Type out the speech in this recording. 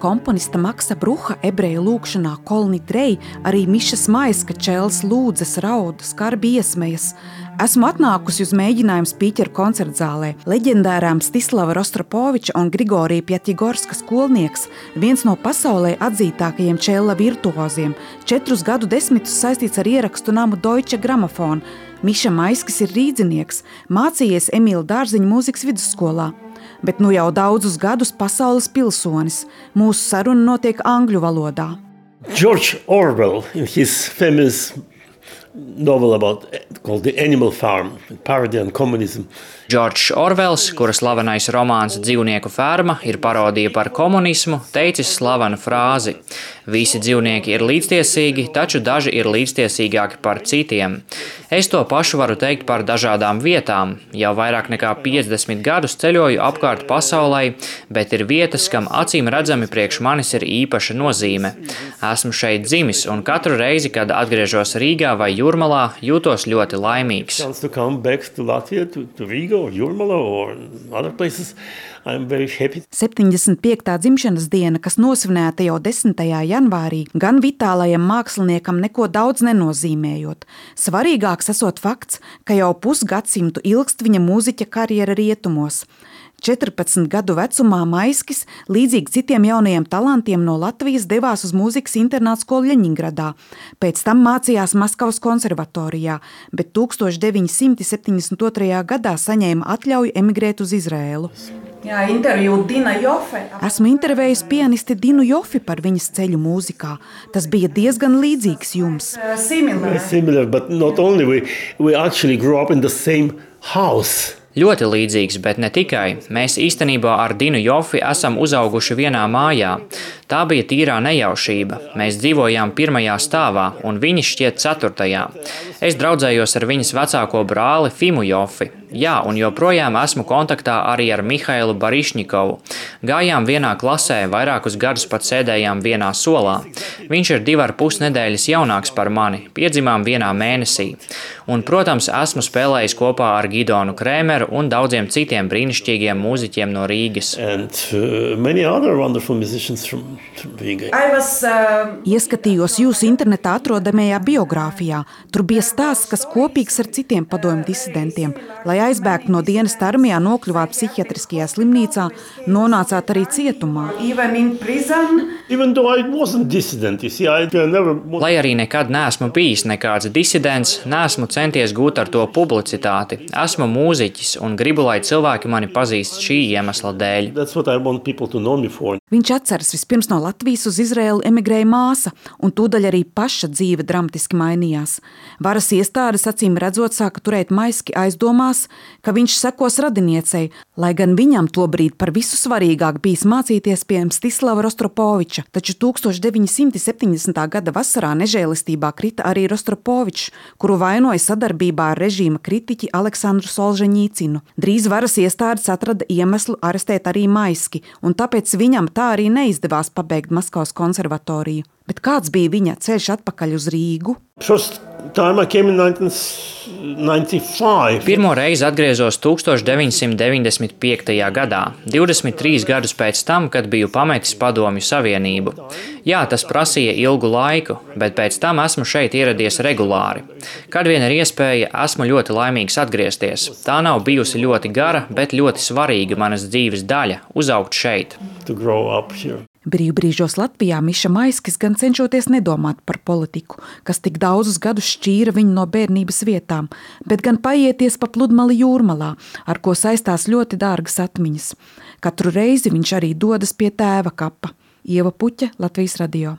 komponista Maksa Bruha ebreju lūkšanā Kolni Trei, arī Mišas Maiska čels lūdzas, rauda, skarbi iesmejas. Esmu atnākusi uz mēģinājumu spīķeru koncertzālē. Leģendārām Stislava Rostropoviča un Grigorija Pjatjegorska skolnieks, viens no pasaulē atzītākajiem čella virtuoziem, 4 gadu desmitus saistīts ar ierakstu namu Deutsche Grammophon. Miša Maiskis ir rīdzinieks, mācījies Emīla Dārziņa mūzikas vidusskolā, bet nu jau daudzus gadus pasaules pilsonis. Mūsu saruna notiek angļu valodā. George Orwell, in his famous novel called The Animal Farm, parody on communism. Džordžs Orvels, kura slavenais romāns Dzīvnieku ferma ir parodija par komunismu, teicis slavenu frāzi: visi dzīvnieki ir līdztiesīgi, taču daži ir līdztiesīgāki par citiem. Es to pašu varu teikt par dažādām vietām. Jau vairāk nekā 50 gadus ceļoju apkārt pasaulē, bet ir vietas, kam acīm redzami priekš manis ir īpaša nozīme. Esmu šeit dzimis, un katru reizi, kad atgriežos Rīgā vai Jūrmalā, jūtos ļoti laimīgs. Or Jūrmala or other places, I'm very happy. 75. dzimšanas diena, kas nosvinēta jau 10. janvārī, gan vitālajam māksliniekam neko daudz nenozīmējot. Svarīgāks esot fakts, ka jau pusgadsimtu ilgst viņa mūziķa karjera rietumos. 14 gadu vecumā Maiskis, līdzīgi citiem jaunajiem talantiem no Latvijas, devās uz mūzikas internātskolu Ļeņingradā. Pēc tam mācījās Maskavas konservatorijā, bet 1972. gadā saņēma atļauju emigrēt uz Izrēlu. Jā, interviju Dina Jofe. Esmu intervējis pianisti Dinu Jofi par viņas ceļu mūzikā. Tas bija diezgan līdzīgs jums. Similar, but not only. We actually grew up in the same house. Ļoti līdzīgs, bet ne tikai. Mēs īstenībā ar Dinu Jofi esam uzauguši vienā mājā. Tā bija tīrā nejaušība. Mēs dzīvojām 1. stāvā, un viņi šķiet 4. Es draudzējos ar viņas vecāko brāli Fimu Jofi. Jā, un joprojām esmu kontaktā arī ar Mihailu Barišņikovu. Gājām vienā klasē, vairākus gadus pat sēdējām vienā solā. Viņš ir 2,5 nedēļas jaunāks par mani, piedzimām vienā mēnesī. Un, protams, esmu spēlējis kopā ar Gidonu Krēmeru un daudziem citiem brīnišķīgiem mūziķiem no Rīgas. Many other wonderful musicians from Riga. Ieskatījos jūsu internetā atrodamajā biogrāfijā. Tur bija stāsts, kas kopīgs ar citiem padomju disidentiem. Lai aizbēgtu no dienas armijā, nokļuvāt psihiatriskajā slimnīcā, nonācāt arī cietumā. Lai arī nekad neesmu bijis nekāds disidents, neesmu centies gūt ar to publicitāti. Esmu mūziķis un gribu, lai cilvēki mani pazīst šī iemesla dēļ. Viņš atceras, vispirms no Latvijas uz Izraēlu emigrēja māsa, un tūdaļ arī paša dzīve dramatiski mainījās. Varas iestādes acīm redzot sāka turēt Maiski aizdomās, ka viņš sekos radiniecei, lai gan viņam tobrīd par visu svarīgāk bijis mācīties pie Stislava Rostropoviča, taču 1970. gada vasarā nežēlistībā krita arī Rostropovičs, kuru vainoja sadarbībā ar režīma kritiķi Aleksandru Solženīcinu. Drīz varas iestādes atrada iemeslu arestēt arī Maiski, un tāpēc viņam tā arī neizdevās pabeigt Maskavas konservatoriju. Bet kāds bija viņa ceļš atpakaļ uz Rīgu? Pirmo reizi atgriezos 1995. gadā, 23 gadus pēc tam, kad biju pametis Padomju Savienību. Jā, tas prasīja ilgu laiku, bet pēc tam esmu šeit ieradies regulāri. Kad vien ir iespēja, esmu ļoti laimīgs atgriezties. Tā nav bijusi ļoti gara, bet ļoti svarīga manas dzīves daļa – uzaugt šeit. Brīvbrīžos Latvijā Miša Maiskis gan cenšoties nedomāt par politiku, kas tik daudzus gadus šķīra viņu no bērnības vietām, bet gan paieties pa pludmali Jūrmalā, ar ko saistās ļoti dārgas atmiņas. Katru reizi viņš arī dodas pie tēva kapa. Ieva Puķa, Latvijas radio.